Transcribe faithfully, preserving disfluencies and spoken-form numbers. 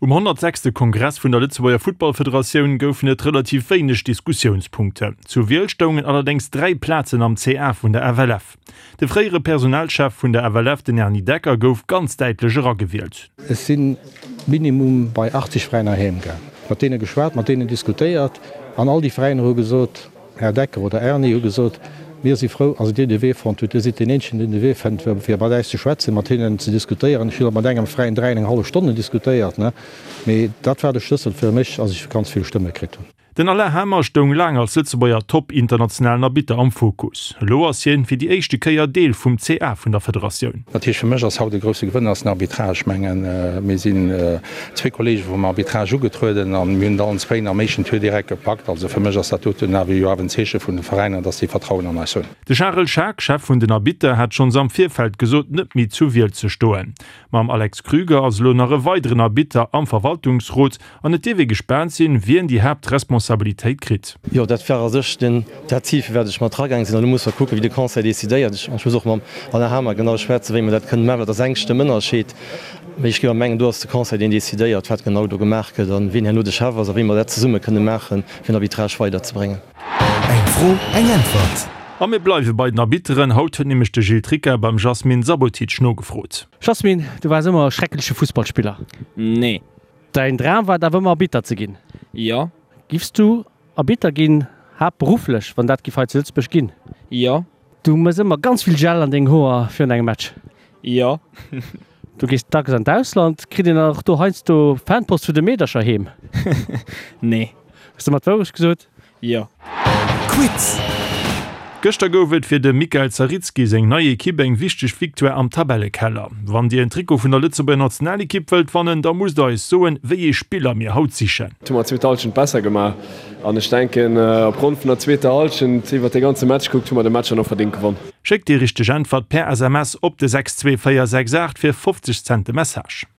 Um honnertsechste Kongress vun der Lëtzebuerger Futtballfederatioun goufen et relativ wéineg Diskussiounspunkten. Zur Wiel stoungen allerdéngs dräi Plazen am C A vun der F L F. De fréiere Personalchef vun der F L F, den Erny Decker, gouf ganz däitlech eragewielt. Ech si minimum bei achtzeg Veräiner heem gaang, mat deene geschwat, mat deenen diskutéiert an all déi Veräiner hu gesot, Här Decker oder Erny, hu gesot, mir si frou, also Dir de Wee fonnt hutt, Dir sidd deen eenzegen, deen de Wee fënnt, fir mat äis ze schwätzen, mat hinnen ze diskutéieren. Ech hunn och mat engem Veräin dräi an eng hallef Stonnen diskutéiert, ne? Mee dat war de Schlëssel fir mech, dass ech ganz vill Stëmme kritt hunn. Den Alain Hamer stoung laang als Lëtzebuerger Top-internationalen Arbitter am Fokus. Elo ass hien fir déi éischte Kéier Deel vum C A vun der Federatioun. Natierlech fir mech ass haut e grousse Gewënner ass den Arbitrage. Ech mengen, mir sinn zwee Kollege vum Arbitrage ugetrueden an mir hunn et allen zwéin am éischten Tour direkt gepackt. Also fir mech ass dat doten awer jo awer en Zeeche vun de Veräiner, dass déi Vertrauen an eis hunn. De Charel Schaack, Chef vun den Arbitter, hat schonns am Virfeld gesot, net méi zur Wiel ze stoen. Mam Alex Krüger ass elo nach e weideren Arbitter am Verwaltungsrot an et dierf ee gespaant sinn, wien déi Haaptresponsabilitéit kritt. Jo, dat war a sech den, dat Zil, fir wat ech mat eragaang sinn. An elo muss mer kucken, wéi de Conseil decidéiert. Ech muss och mam Alain Hamer genau schwätzen, wéi mer dat kënnen maachen. Dat ass eng Stëmm Ënnerscheed. Mee ech géif mengen, do ass de Conseil, deen decidéiert, wat genau do gemaach gëtt an wien herno de Chef ass a wéi mer dat zesumme kënne maachen, fir den Arbitrage weiderzebréngen. Eng Fro, eng Äntwert. A mir bleiwe bei den Arbitteren. Haut huet nämlech de Gilles Tricca beim Jasmin Sabotic nogefrot. Jasmin, du waars ëmmer e schreckleche Fussballspiller. Nee. Däin Dram war et awer ëmmer Arbitter ze ginn? Jo. Giffs du Arbitter ginn, haaptberufflech, wann dat giff hei zu Lëtzebuerg ginn? Jo. Du mëss ëmmer ganz vill Gel an deng Hoer virun engem Match. Jo. Du gees dacks an d'Ausland, kritt een dann och do heiansdo Fanpost vun de Meedercher heem? Nee. Hues de mer d'Wourecht gesot? Jo. Quiz. Gëschter gouf et fir dem Mikael Zaritski seng nei Ekipp eng wichteg Victoire am Tabellekeller. Wann Dir en Trikot vun der Lëtzebuerger Nationalekipp wëllt wannen, da musst der eis soen, wéi ee Spiller mir haut sichen. Hu mer d'zweet Hallschent besser gemaach an ech denken opgrond vun der zweeter Hallschent iwwer de ganze Match gekuckt hu mer de Match dann och verdéngt gewonn. Schéckt déi richteg Äntwert per S M S op de sechs zwee véier sechs aacht fir fofzeg Cent de Message.